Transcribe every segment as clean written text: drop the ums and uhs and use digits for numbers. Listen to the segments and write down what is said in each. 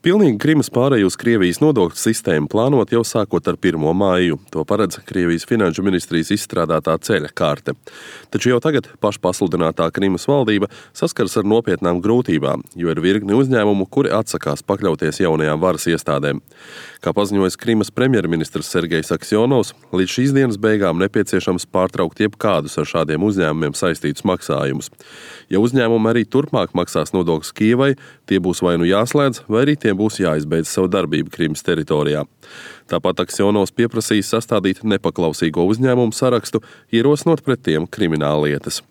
Pilnīgi Krimas pāreju uz Krievijas nodokļu sistēmu plānot jau sākot ar 1. māju. To paredz Krievijas finanšu ministrijas izstrādātā ceļa karte. Taču jau tagad pašpasludinātā Krimas valdība saskars ar nopietnām grūtībām, jo ir virkni uzņēmumu, kuri atsakās pakļauties jaunajām varas iestādēm. Kā paziņojas Krimas premjerministrs Sergejs Aksjonovs, līdz šīs dienas beigām nepieciešams pārtraukt jebkādus ar šādiem uzņēmumiem saistītus maksājumus. Ja uzņēmumi arī turpmāk maksās nodokļus Kijevai, tie būs vai nu jāslēdz, vai arī tiem būs jāizbeidz savu darbību Krimas teritorijā. Tāpat Aksjonovs pieprasīs sastādīt nepaklausīgo uzņēmumu sarakstu, ierosinot pret tiem krimināllietas.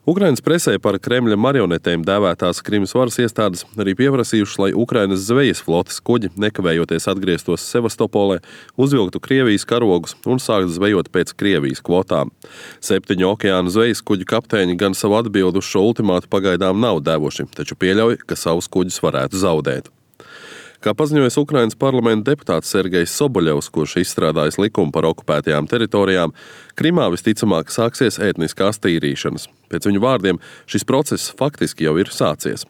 Ukrainas presē par Kremļa marionetēm dēvētās Krimas varas iestādes arī pieprasījušas, lai Ukrainas zvejas flotes kuģi nekavējoties atgrieztos Sevastopolē, uzvilktu Krievijas karogus un sāktu zvejot pēc Krievijas kvotām. 7 okeāna zvejas kuģu kapteiņi gan savu atbildu uz šo ultimātu pagaidām nav devuši, taču pieļauj, ka savus kuģus varētu zaudēt. Kā paziņojas Ukrainas parlamenta deputāts Sergejs Soboļevs, kurš izstrādājis likumu par okupētajām teritorijām, Krimā visticamāk sāksies etniskās tīrīšanas. Pēc viņu vārdiem šis process faktiski jau ir sācies.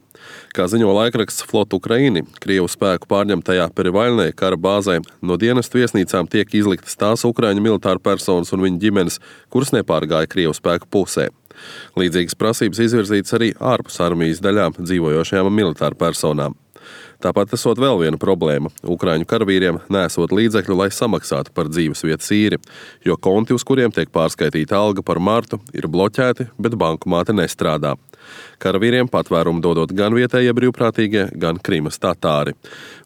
Kā ziņo laikraksts Flot Ukraini, Krievu spēku pārņemtajā Perivaļnē kara bāzē no dienestu viesnīcām tiek izliktas tās ukraiņu militāru personas un viņu ģimenes, kuras nepārgāja Krievu spēku pusē. Līdzīgas prasības izvirzītas arī ārpus armijas daļām dzīvojošajām militāru personām. Tāpat esot vēl viena problēma. Ukraiņu karavīriem nesot līdzekļu, lai samaksātu par dzīvesvietas īri, jo konti, uz kuriem tiek pārskaitīta alga par martu, ir bloķēti, bet bankomāti nestrādā. Karavīriem patvērumu dodot gan vietējie brīvprātīgie, gan Krimas tatāri.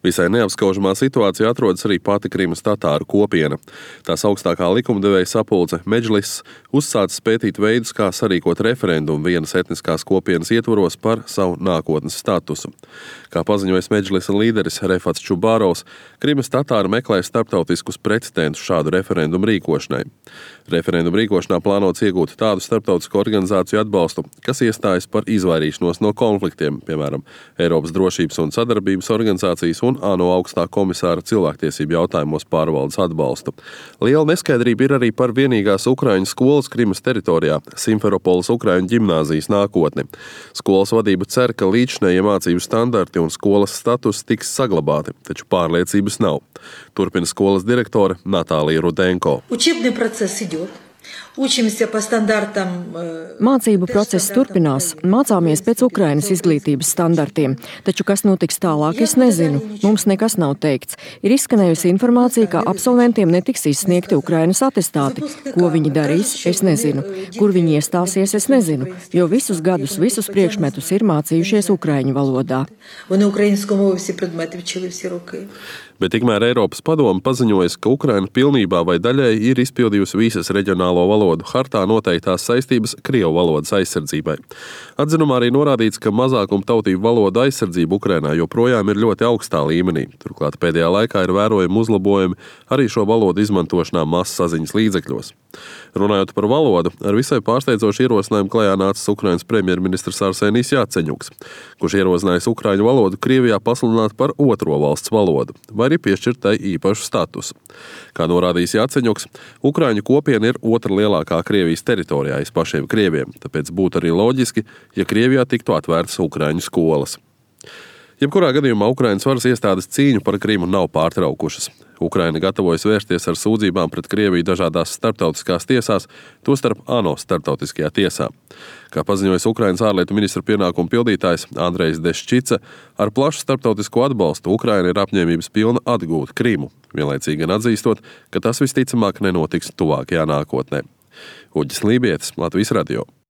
Visai neapskaužamā situācijā atrodas arī pati Krimas tatāru kopiena. Tās augstākā likumdevēja sapulce Medžlis uzsācis pētīt veidus, kā sarīkot referendumu vienas etniskās kopienas ietvaros par savu nākotnes statusu. Kā paziņojas Medžlisa līderis Refats Čubārovs, Krimas tatāri meklē starptautiskus precedentus šādu referendumu rīkošanai. Referendumu rīkošanā plānots iegūt tādu starptautisku organizāciju atbalstu, kas iestājas par izvairīšanos no konfliktiem, piemēram, Eiropas drošības un sadarbības organizācijas un ANO augstā komisāra cilvēktiesību jautājumos pārvaldes atbalstu. Liela neskaidrība ir arī par vienīgās ukraiņu skolas Krimas teritorijā, Simferopoles ukraiņu ģimnāzijas nākotni. Skolas vadība cer, ka līdzinējie mācību standarti un skolas status tiks saglabāti, taču pārliecības nav. Turpina skolas direktore Natālija Rudenko. Mācību process turpinās. Mācāmies pēc Ukrainas izglītības standartiem. Taču, kas notiks tālāk, es nezinu. Mums nekas nav teikts. Ir izskanējusi informācija, ka absolventiem netiks izsniegti Ukrainas atestāti. Ko viņi darīs, es nezinu. Kur viņi iestāsies, es nezinu. Jo visus gadus, visus priekšmetus ir mācījušies ukraiņu valodā. Bet tikmēr Eiropas padome paziņojas, ka Ukraina pilnībā vai daļēji ir izpildījusi visas reģionālo valodu hartā noteiktās saistības Krievu valodas aizsardzībai. Atzinumā arī norādīts, ka mazākumu tautību valodu aizsardzība Ukrainā joprojām ir ļoti augstā līmenī. Turklāt pēdējā laikā ir vērojami uzlabojumi arī šo valodu izmantošanā masasaziņas līdzekļos. Runājot par valodu, ar visai pārsteidzošu ierosinājumu klajā nācis Ukrainas premjerministrs Arsenijs Jaceņuks, kurš ierosinājis ukraiņu valodu Krievijā pasludināt par otro valsts valodu, vai arī piešķirt tai īpašu statusu. Kā norādījis Jaceņuks, ukraiņu kopiena ir otra lielākā Krievijas teritorijā aiz pašiem krieviem, tāpēc būtu arī loģiski, ja Krievijā tiktu atvērtas ukraiņu skolas. Jebkurā gadījumā Ukrainas varas iestādes cīņu par Krimu nav pārtraukušas. Ukraina gatavojas vērsties ar sūdzībām pret Krieviju dažādās starptautiskās tiesās, tostarp ANO starptautiskajā tiesā. Kā paziņojas Ukrainas ārlietu ministra pienākumu pildītājs Andrejs Deščica, ar plašu starptautisko atbalstu Ukraina ir apņēmības pilna atgūt Krimu, vienlaicīgi gan atzīstot, ka tas visticamāk nenotiks tuvākajā nākotnē. Uģis Lībietis, Latvijas radio.